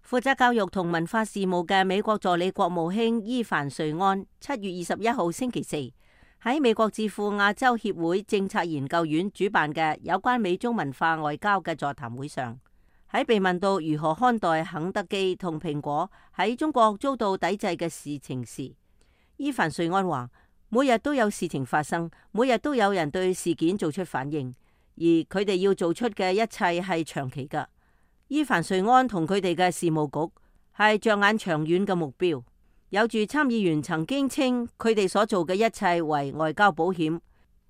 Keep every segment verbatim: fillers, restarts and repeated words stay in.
負責教育同文化事務嘅美國助理國務卿伊凡瑞安七月二十一號星期四喺美國智庫亞洲協會政策研究院主辦嘅有關美中文化外交嘅座談會上，喺被問到如何看待肯德基同蘋果喺中國遭到抵制嘅事情時，伊凡瑞安話：每日都有事情發生，每日都有人對事件做出反應，而佢哋要做出嘅一切係長期㗎。伊凡瑞安同佢哋嘅事務局係着眼長遠嘅目標。有住參議員曾經稱佢哋所做嘅一切為外交保險。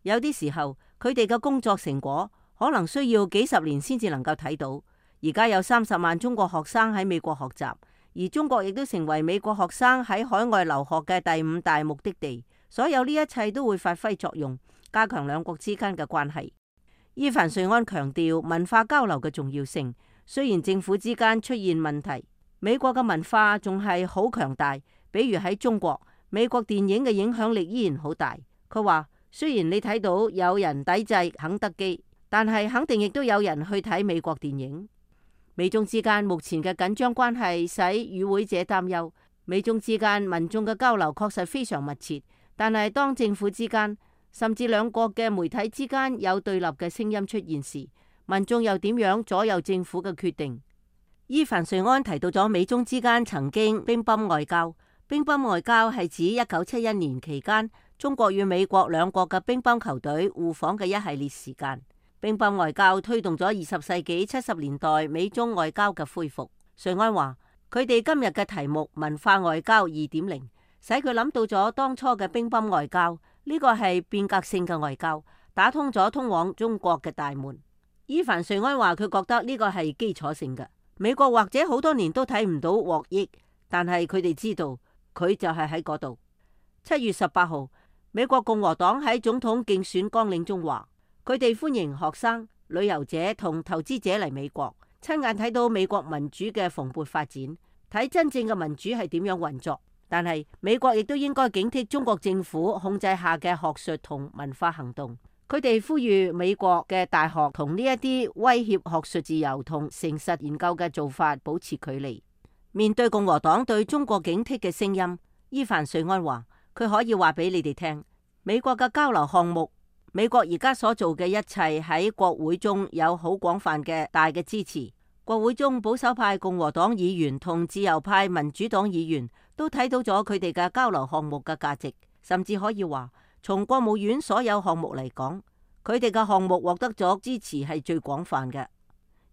有啲時候佢哋嘅工作成果可能需要幾十年先至能夠睇到。而家有三十萬中國學生喺美國學習，而中國亦都成為美國學生喺海外留學嘅第五大目的地。所有呢一切都會發揮作用，加強兩國之間嘅關係。伊凡瑞安強調文化交流嘅重要性。雖然政府之間出現問題，美國嘅文化仲係好強大。比如喺中國，美國電影嘅影響力依然好大。佢話：雖然你睇到有人抵制肯德基，但係肯定亦都有人去睇美國電影。美中之間目前嘅緊張關係使與會者擔憂。美中之間民眾嘅交流確實非常密切，但係當政府之間甚至兩國嘅媒體之間有對立嘅聲音出現時，民眾又點樣左右政府嘅決定？伊凡瑞安提到咗美中之間曾經乒乓外交。乒乓外交係指一九七一年期間中國與美國兩國嘅乒乓球隊互訪嘅一系列時間。乒乓外交推動咗二十世紀七十年代美中外交嘅恢復。瑞安話：佢哋今日嘅題目文化外交二點零，使佢諗到咗當初嘅乒乓外交。呢個係變革性嘅外交，打通咗通往中國嘅大門。伊凡瑞安話：佢覺得呢個係基礎性嘅，美國或者好多年都睇唔到獲益，但係佢哋知道佢就係喺嗰度。七月十八號，美國共和黨喺總統競選綱領中話，佢哋歡迎學生、旅遊者同投資者嚟美國，親眼睇到美國民主嘅蓬勃發展，睇真正嘅民主係點樣運作。但係美國亦都應該警惕中國政府控制下嘅學術同文化行動。佢哋呼籲美國嘅大學同呢一啲威脅學術自由同誠實研究嘅做法保持距離。面對共和黨對中國警惕嘅聲音，伊凡瑞安話：佢可以話俾你哋聽，美國嘅交流項目，美國而家所做嘅一切喺國會中有好廣泛嘅大嘅支持。國會中保守派共和黨議員同自由派民主黨議員都睇到咗佢哋嘅交流項目嘅價值，甚至可以話，從國務院所有項目嚟講，佢哋嘅項目獲得咗支持係最廣泛嘅。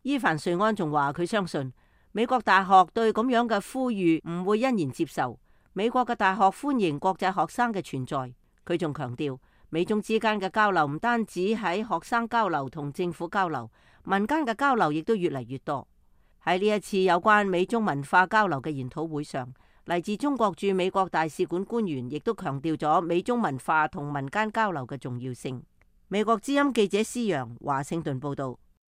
伊凡瑞安仲話佢相信美國大學對咁樣嘅呼籲唔會欣然接受。美國嘅大學歡迎國際學生嘅存在。佢仲強調，美中之間嘅交流唔單止喺學生交流同政府交流，民間嘅交流亦都越嚟越多。喺呢一次有關美中文化交流嘅研討會上，嚟自中國駐美國大使館官員亦都強調咗美中文化同民間交流嘅重要性。美國之音記者施洋華盛頓報道。